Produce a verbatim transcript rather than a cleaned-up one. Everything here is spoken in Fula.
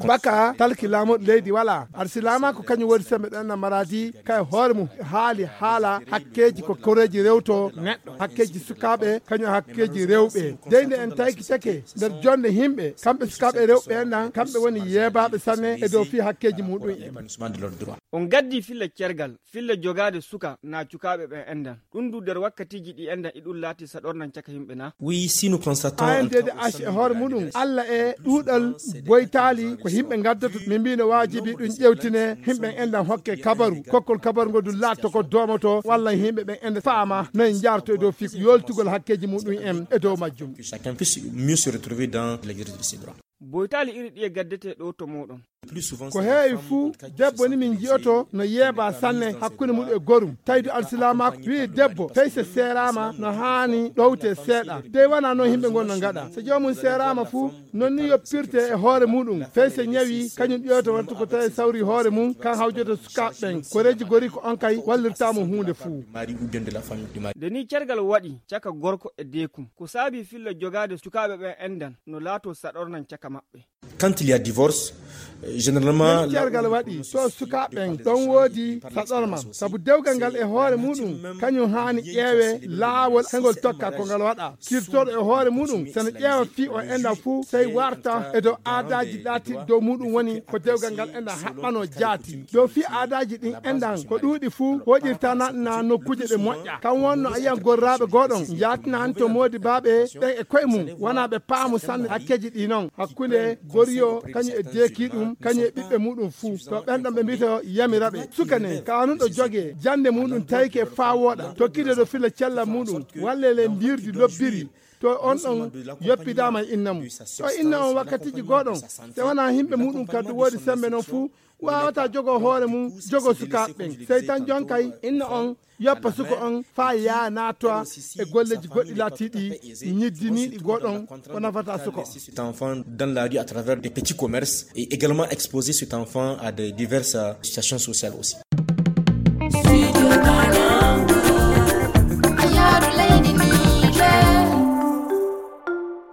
Baka talki laamuɗo leydi wala. Aɗa silaama ko kañum woni sembe ɗon na maradi kay hoore mum haali haala hakkeeji ko koreeji rewto neɗɗo. Hakkeeji sukaaɓe kañum hakkeeji rewɓe. Dey nde en taykitake nder jonde yimɓe, kamɓe sukaaɓe rewɓe en ɗan, kamɓe woni yeebaaɓe sanne e dow fii hakkeeji muɗum en. On gaddi filla cergal, filla jogaade suka na cukaaɓe ɓen endan. Ɗun du nder wakkatiiji ɗi endan iɗun laati saɗornan caka yimɓe na? Oui, si nous constatons en tant que H E hoore muɗum, Alla e ɗuuɗal boytaali ko yimɓe ngaddoto, min mbii no waajibi ɗum ƴewtine, yimɓe endan hokke kabaru, kokkol kabaru ngo ɗum laatto ko doomoto, walla yimɓe ɓen endan faama no en njaarto e dow fii yoltugol hakkeeji muɗum en e dow majjum. Chacun puisse mieux se retrouver dans l'exercice de ses droits. Boytaali iri ɗi e gaddete ɗo to moɗon. Ko heewi fuu, debbo ni min ji'oto no yeebaa sanne hakkunde muɗum e gorum. Tawi du alsilaamaaku wi'i debbo fey se seeraama no haani ɗowte seeɗa. Dey wanaa non yimɓe ngon no ngaɗa. So joomum seeraama fuu, non ni yoppirte e hoore muɗum. Fey se ñawi, kañum ƴeewta wonta ko tawi sawri hoore mum, kan hawjoto sukaaɓe ɓen. Koreeji gori ko on kay wallirtaa mo huunde fuu. Nde ni cergal waɗi caka gorko e deekum, ko saabi filla jogaade sukaaɓe ɓen endan no laato saɗornan caka maɓɓe. Quand il y a divorce, euh, généralement Nden cergal waɗi to sukaaɓe ɓen ɗon woodi saɗorma, sabu dewgal ngal e hoore muɗum kañum haani ƴeewe laawol hengol tokka ko ngal waɗa. Kirtooɗo e hoore muɗum sene ƴeewa fii o enɗan fuu sey warta e dow aadaaji laatiiɗi dow muɗum woni ko dewgal ngal enɗan haɓɓanoo jaati. Dow fii aadaaji ɗin enɗan ko ɗuuɗi fuu woɗirta naɗna nokkuuje ɗe moƴƴa. Kan wonno a yiyan gorraaɓe gooɗon njaatinanto moodi baaɓe ɓen e koye mum wonaa ɓe paamu sanne hakkeeji ɗi non hakkunde goriyo kañum e deekii ɗum kañum e ɓiɓɓe muɗum fuu. To ɓen ɗon ɓe mbito yamira ɓe suka nen kaanuɗo jogee jannde muɗum tayke faa wooɗa tokkide ɗo fila cella muɗum walla le mbirdi lobbiri. To on ɗon yoppidaama e inna mum to inna on wakkatiiji gooɗon se wonaa yimɓe muɗum kaddu woodi sembe non fuu waawataa jogoo hoore mum jogoo sukaaɓe ɓen sey tan jonkay inna on yoppa suka on faa yaa naatoa e golleeji goɗɗi laatiiɗi ñiddiniiɗi gooɗon ko nafataa suka on. Cet enfant dans la rue à travers des petits commerces et également exposer cet enfant à de diverses euh, situations sociales aussi.